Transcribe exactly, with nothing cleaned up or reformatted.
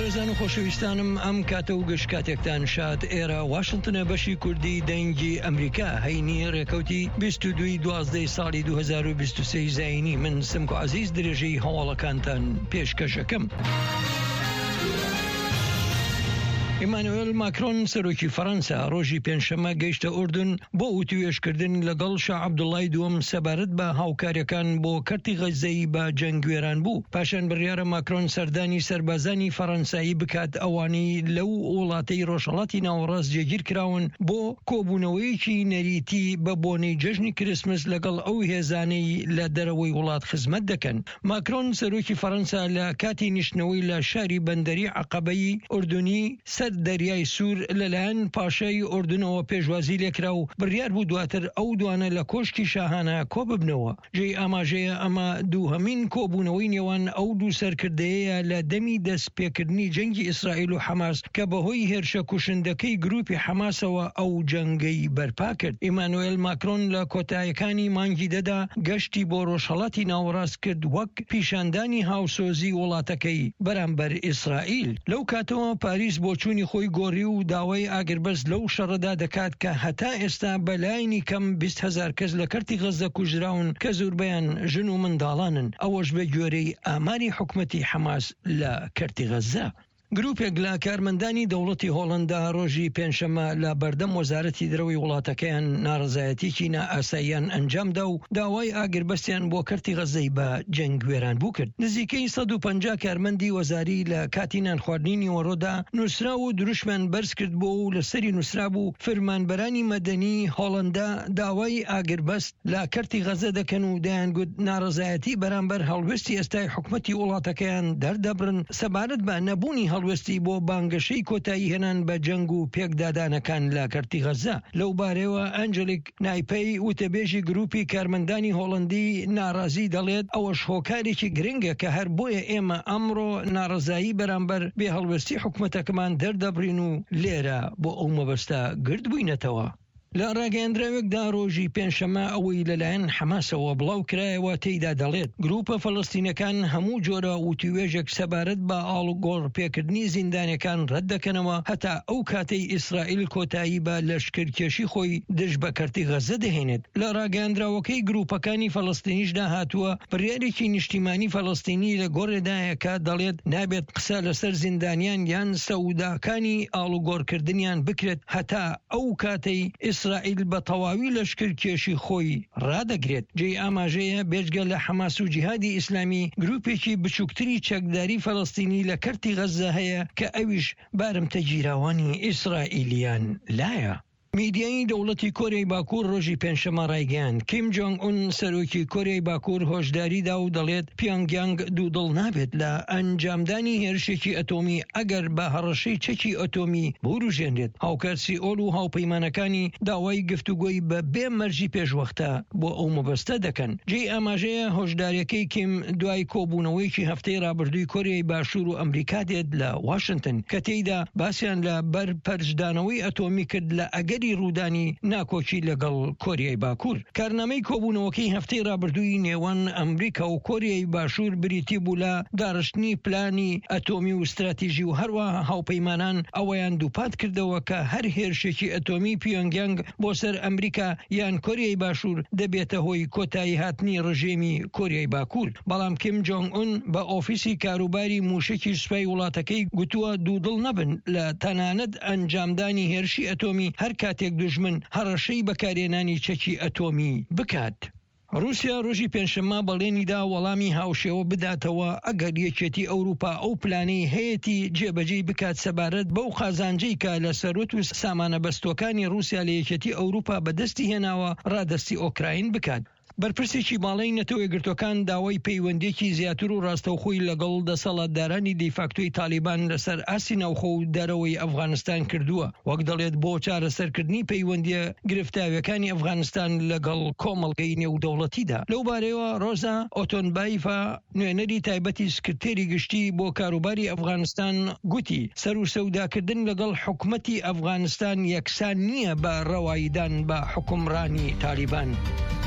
بەڕێزان و خۆشەویستانم، ئەم کاتە و گشت کاتێکتان شاد. ئێرە واشنتنە، بەشی کوردی دەنگی ئەمریکا. هەینی ڕێکەوتی بیست و دوو دوازدە ساڵی دوو هەزار و بیست و سێ زایینی، من سمکۆ عەزیز درێژەی هەواڵەکانتان پێشکەشەکەم. ئیمانوێل ماکرۆن سەرۆکی فەرەنسا ڕۆژی پێنجشەممە گەیشتە ئوردن بۆ وتوێژکردن لەگەڵ شا عەبدوڵای دووەم سەبارەت بە هاوکاریەکان بۆ کەرتی غەززەی بە جەنگ وێران بوو. پاشان بڕیارە ماکرۆن سەردانی سەربازانی فەرەنسایی بکات ئەوانەی لەو وڵاتەی ڕۆژهەڵاتی ناوەڕاست جێگیر کراون بۆ کۆبوونەوەیەکی نەریتی بە بۆنەی جەژنی کریسمس لەگەڵ ئەو هێزانەی لە دەرەوەی وڵات خزمەت دەکەن. ماکرۆن سەرۆکی فەرەنسا لە کاتی نیشتنەوەی لە شاری بەندەری عەقەبەی ئوردنی سەر دەریای سوور لەلایەن پاشای ئوردنەوە پێشوازی لێکرا و بڕیار بوو دواتر ئەو دوانە لە کۆشکی شاهانە کۆببنەوە. جێی ئاماژەیە ئەمە دووهەمین کۆبوونەوەی نێوان ئەو دوو سەرکردەیە لە دەمی دەستپێکردنی جەنگی ئیسرائیل و حەماس کە بەهۆی هێرشە کوشندەکەی گروپی حەماسەوە ئەو جەنگەی بەرپا کرد. ئیمانوێل ماکرۆن لە کۆتایەکانی مانگی دەدا گەشتی بۆ ڕۆژهەڵاتی ناوەڕاست کرد وەک پیشاندانی هاوسۆزی وڵاتەکەی بەرامبەر ئیسرائیل. لەو کاتەوە پاریس بۆچوونی خۆی گۆڕی و داوای ئاگربەست لەو شەڕەدا دەکات کە هەتا ئێستا بەلایەنی کەم بیست هەزار کەس لە کەرتی غەززە کوژراون کە زۆربەیان ژن و منداڵانن، ئەوەش بە گوێرەی ئاماری حکومەتی حەماس لە کەرتی غەززە. گروپێک لە کارمەندانی دەوڵەتی هۆڵندا ڕۆژی پێنجشەممە لە بەردەم وەزارەتی دەرەوەی وڵاتەکەیان ناڕەزایەتیکی نائاساییان ئەنجامدا و داوای ئاگربەستیان بۆ کەرتی غەززەی بە جەنگ وێران بوو کرد. نزیکەی سەد و پەنجا کارمەندی وەزاری لە کاتی نانخواردنی نیوەڕۆدا نووسراو و دروشمیان بەرز کرد بۆ و لەسەری نووسرابوو فرمانبەرانی مەدەنی هۆڵندا داوای ئاگربەست لە کەرتی غەززە دەکەن و دەیانگوت ناڕەزایەتی بەرامبەر هەڵوێستی ئێستای حکومەتی وڵاتەکەیان دەردەبڕن سەبارەت بە نەبوونی هەڵوێستی بۆ بانگەشەی کۆتایی هێنان بە جەنگ و پێکدادانەکان لە کەرتی غەززە. لەو بارەیەوە ئەنجلیک نایپەی وتەبێژی گروپی کارمەندانی هۆڵندی ناڕازی دەڵێت ئەوەش هۆکارێکی گرنگە کە هەر بۆیە ئێمە ئەمڕۆ ناڕەزایی بەرامبەر بێهەڵوێستی حکومەتەکەمان دەردەبڕین و لێرە بۆ ئەو مەبەستە گرد بووینەتەوە. لە ڕاگەیەندراوێکدا ڕۆژی پێنجشەممە ئەوەی لەلایەن حەماسەوە بڵاو کرایەوە تێیدا دەڵێت گروپە فەلەستینەکان هەموو جۆرە وتوێژێک سەبارەت بە ئاڵوگۆڕ پێکردنی زیندانەکان ڕەت دەکەنەوە هەتا ئەو کاتەی ئیسرائیل کۆتایی بە لەشکرکێشی خۆی دژ بە کەرتی غەزە دەهێنێت. لە ڕاگەیەندراوەکەی گروپەکانی فەلەستینیشدا هاتووە بڕیارێکی نیشتیمانی فەلەستینی لە گۆڕێدایە کە دەڵێت نابێت قسە لەسەر زیندانیان یان سەوداکانی ئاڵوگۆڕکردنیان بکرێت هەتا ئەو کاتەی ئیسرائیل بە تەواوی لەشکرکێشی خۆی ڕادەگرێت. جێی ئاماژەیە بێجگە لە حەماس و جیهادی ئیسلامی گروپێکی بچووکتری چەکداری فەلەستینی لە کەرتی غەزە هەیە کە ئەویش بارمتەگیراوانی ئیسرائیلیان لایە. میدیایی دەوڵەتی کۆریای باکوور ڕۆژی پێنجشەممە ڕایگەیاند کیم جۆنگ ئون سەرۆکی کۆریای باکوور هۆشداری دا و دەڵێت پیۆنگیانگ دوودڵ نابێت لە ئەنجامدانی هێرشێکی ئەتۆمی ئەگەر بە هەڕەشەی چەکی ئەتۆمی بوروژێنرێت. هاوکات سیئۆل و هاوپەیمانەکانی داوای گفتوگۆی بە بێ مەرجی پێشوەختە بۆ ئەو مەبەستە دەکەن. جێی ئاماژەیە هۆشداریەکەی کیم دوای کۆبوونەوەیەکی هەفتەی ڕابردووی کۆریای باشوور و ئەمریکا دێت لە واشنتن کە تێیدا باسیان لە بەرپەرچدانەوەی ئەتۆمی کرد لە ئەگەری ڕوودانی ناکۆکی لەگەڵ کۆریای باکوور. کارنامەی کۆبوونەوەکەی هەفتەی ڕابردووی نێوان ئەمریکا و کۆریای باشوور بریتی بوو لە داڕشتنی پلانی ئەتۆمی و استراتیژی و هەروەها هاوپەیمانان ئەوەیان دووپات کردەوە کە هەر هێرشێکی ئەتۆمی پیۆنگیانگ بۆ سەر ئەمریکا یان کۆریای باشوور دەبێتە هۆی کۆتایی هاتنی ڕژێمی کۆریای باکوور. بەڵام کیم جۆنگ ئون بە ئۆفیسی کاروباری موشکی سوپای وڵاتەکەی گوتووە دوودڵ نەبن لە تەنانەت ئەنجامدانی هێرشی ئەتۆمی هەر کاتێک دوژمن هەڕەشەی بەکارهێنانی چەکی ئەتۆمی بکات. رووسیا ڕۆژی پێنجشەممە بەڵێنیدا وەڵامی هاوشێوە بداتەوە ئەگەر یەکێتی ئەوروپا ئەو پلانەی هەیەتی جێبەجێی بکات سەبارەت بەو قازانجەی کە لە سەروەت و سامانە بەستووەکانی رووسیا لە یەکێتی ئەوروپا بەدەستی هێناوە ڕادەستی ئۆکراین بکات. بەرپرسێکی باڵای نەتەوە یەکگرتووەکان داوای پەیوەندییەکی زیاتر و ڕاستەوخۆی لەگەڵ دەسەڵاتدارانی دیفاکتۆی تالیبان لەسەر ئاستی ناوخۆ و دەرەوەی ئەفغانستان کردووە، وەک دەڵێت بۆ چارەسەرکردنی پەیوەندییە گرفتاویەکانی ئەفغانستان لەگەڵ کۆمەڵگەی نێودەوڵەتیدا. لەو بارەیەوە ڕۆزا ئۆتۆنبایڤا نوێنەری تایبەتی سکرتێری گشتی بۆ کاروباری ئەفغانستان گوتی سەروسەوداکردن لەگەڵ حکومەتی ئەفغانستان یەکسان نییە بە ڕەواییدان بە حوکمڕانی تالیبان.